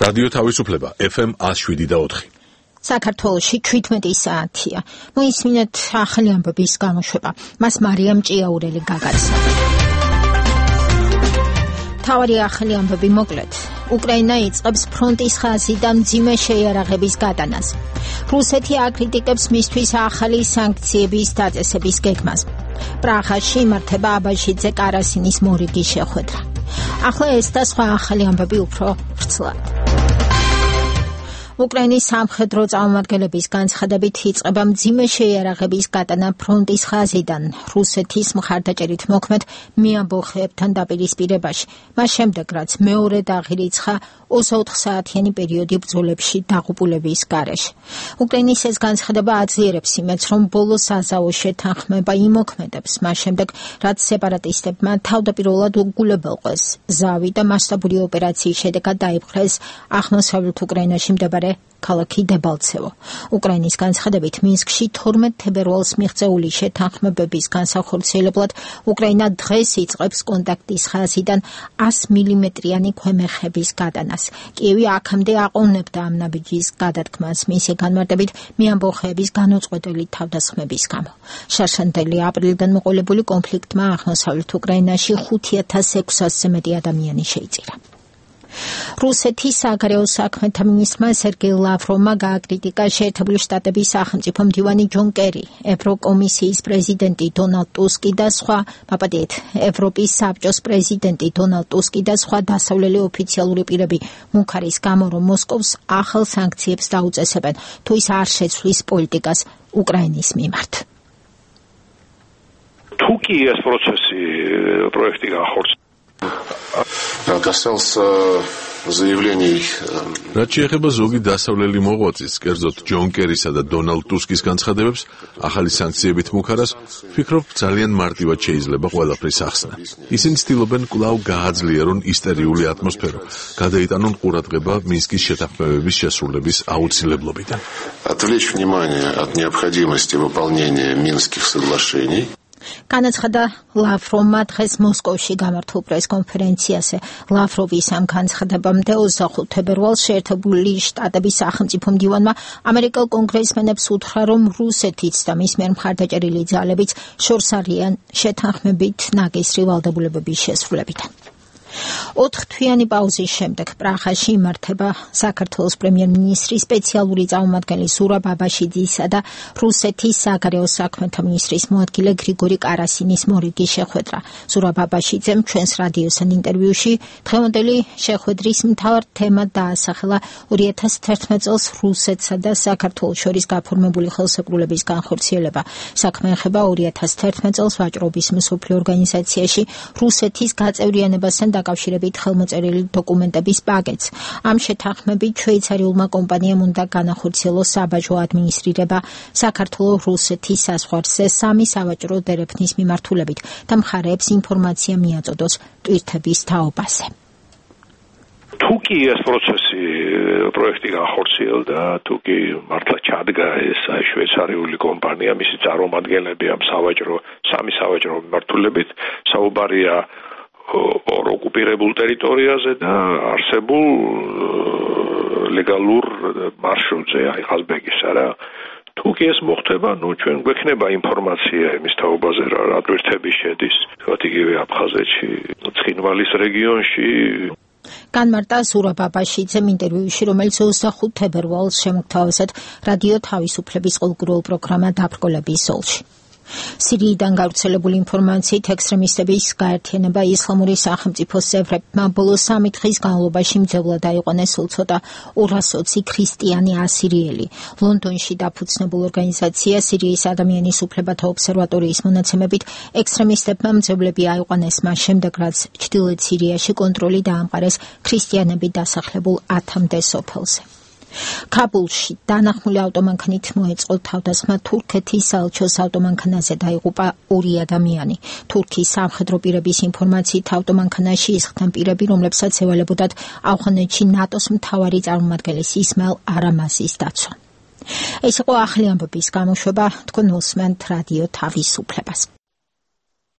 რადიო თავისუფლება FM 107.4. საქართველოში 17 საათია. მოისმინეთ ახალი ამბების გამოშვება. მას მარიამ ჭიაურელი გაგაცა. თავარი ახალი ამბები მოკლედ. უკრაინა იწყებს ფრონტის ხაზიდან მძიმე შეიარაღების გადანას. რუსეთი აკრიტიკებს მისთვის ახალი სანქციების დაწესების გეგმას. პრაღაში იმართება აბაშიძე კარასინის მორიგის შეხვედრა. ახლა ეს და სხვა ახალი ამბები უფრო ვრცლად. უკრაინის სამხედრო წარმომადგენლების განცხადებით იწყება მძიმე შეიარაღების გადანა ფრონტის ხაზიდან რუსეთის მხარდაჭერით მოქმედ მეამბოხეებთან დაპირისპირებაში. მას შემდეგ, რაც მეორე დაღირიცხა 24 საათიანი პერიოდი ბრძოლებში დაღუპულების გარეშე. უკრაინის ეს განცხადება აძლიერებს იმედს, რომ ბოლო საზავო შეთანხმება იმოქმედებს, მას შემდეგ, რაც სეპარატისტებმა თავდაპირველად უგულებელყვეს ზავი და მასშტაბური ოპერაციის შედეგად დაიპყრეს აღმოსავლეთ უკრაინაში მდებარე ქალაქი დებალცევო. უკრაინის განცხადებით მინსკში 12 თებერვალს მიღწეული შეთანხმებების განსახორციელებლად უკრაინა დღეს იწყებს კონტაქტის ხაზიდან 100 მმ-იანი ქვემეხების გადანას. კიევი აქამდე აყოვნებდა ამ ნაბიჯის გადადგმას მისი განმარტებით მეამბოხეების განუწყვეტელი თავდასხმების გამო. შარშანდელი აპრილიდან მოყოლებული კონფლიქტმა აღმოსავლეთ უკრაინაში 5600-ზე მეტი ადამიანი შეიწირა. რუსეთის საგარეო საქმეთა მინისტრმა სერგეი ლავროვმა გააკრიტიკა შეერთებული შტატების სახელმწიფო მდივანი ჯონ კერი, ევროკომისიის პრეზიდენტი დონალდ ტუსკი და სხვა, მაპატიეთ, ევროპის საბჭოს პრეზიდენტი დონალდ ტუსკი და სხვა დასავლელი ოფიციალური პირები მუქარის გამო, რომ მოსკოვს ახალ სანქციებს დაუწესებენ, თუ ის არ შეცვლის პოლიტიკას უკრაინის მიმართ. თუ კი ეს პროექტი განხორციელდება касался заявлений. რაც შეეხება ზოგი დასავლელი მოღვაწის, კერძოდ ჯონ კერისა და დონალდ ტუსკის განცხადებებს, ახალი სანქციებით მუქარას, ვფიქრობ, ძალიან მარტივად შეიძლება ყველაფრის ახსნა. ისინი ცდილობენ კვლავ გააძლიერონ ისტერიული ატმოსფერო, გადაიტანონ ყურადღება მინსკის შეთანხმებების შესრულების აუცილებლობიდან. Отвлечь внимание от необходимости выполнения Минских соглашений. განაცხადა ლავროვმა დღეს მოსკოვში გამართულ პრესკონფერენციაზე. ლავროვის ამ განცხადებამდე 25 თებერვალს შეერთებული შტატების სახელმწიფო მდივანმა ამერიკელ კონგრესმენებს უთხრა, რომ რუსეთიც და მის მიერ მხარდაჭერილი ძალებიც შორს არიან შეთანხმებით ნაკისრი ვალდებულებების შესრულებიდან. 4 თვიანი პაუზის შემდეგ პრაღაში იმართება საქართველოს პრემიერ-მინისტრის სპეციალური წარმომადგენელი ზურაბ აბაშიძისა და რუსეთის საგარეო საქმეთა მინისტრის მოადგილე გრიგორი კარასინის მორიგის შეხვედრა. ზურაბ აბაშიძემ ჩვენს რადიოსთან ინტერვიუში დღევანდელი შეხვედრის მთავარ თემად დაასახელა 2011 წელს რუსეთსა და საქართველოს შორის გაფორმებული ხელსაყრელობის განხორციელება. საქმე ეხება 2011 წელს ვაჭრობის მსოფლიო ორგანიზაციაში რუსეთის გაწევრიანებასთან დაკავშირებით ხელმოწერილი დოკუმენტების პაკეტს. ამ შეთანხმებით შვეიცარიულმა კომპანიამ უნდა განახორციელოს საბაჟო ადმინისტრირება საქართველოს-რუსეთის საზღვარზე 3 სავაჭრო დერეფნის მიმართულებით და მხარეებს ინფორმაცია მიაწოდოს ტვირთების თაობაზე. თუ კი ეს პროექტი განხორციელდა, თუ კი მართლა ჩადგა ეს შვეიცარიული კომპანია, მისი წარმომადგენლები ამ 3 სავაჭრო მიმართულებით, საუბარია ორ ოკუპირებულ ტერიტორიაზე და არსებულ ლეგალურ მარშრუტზე, აი ყაზბეგისა რა. თუ კი ეს მოხდება, ჩვენ გვექნება ინფორმაცია იმის თაობაზე, რა ტვირთები შედის, თქვათ იგივე აფხაზეთში, ცხინვალის რეგიონში. განმარტა ზურაბ აბაშიძემ ინტერვიუში, რომელიც 25 თებერვალს შემოგთავაზეთ რადიო თავისუფლების ყოველდღიურ პროგრამა დაბრკოლების ზოლში. სირიიდან გავრცელებული ინფორმაციით ექსტრემისტების გაერთიანება ისლამური სახელმწიფოს წევრებმა ბოლო 3 დღის განმავლობაში მძევლად აიყვანეს სულ ცოტა 220 ქრისტიანი ასირიელი. ლონდონში დაფუძნებულ ორგანიზაცია სირიის ადამიანის უფლებათა ობსერვატორიის მონაცემებით ექსტრემისტებმა მძევლები აიყვანეს მას შემდეგ, რაც ჩრდილოეთ სირიაში კონტროლი დაამყარეს ქრისტიანები დასახლებულ 10-მდე სოფელზე. ქაბულში დანახმული ავტომანქანით მოეწყო თავდასხმა თურქეთის საელჩოს ავტომანქანაზე დაიღუპა 2 ადამიანი. თურქიის სამხედრო პირების ინფორმაციით ავტომანქანაში ისხდნენ პირები, რომლებსაც ევალებოდათ ავღანეთში ნატოს მთავარი წარმომადგენლის ისმაილ არამაზის დაცვა. ეს იყო ახალი ამბების გამოშვება, თქვენ უსმენთ რადიო თავისუფლებას.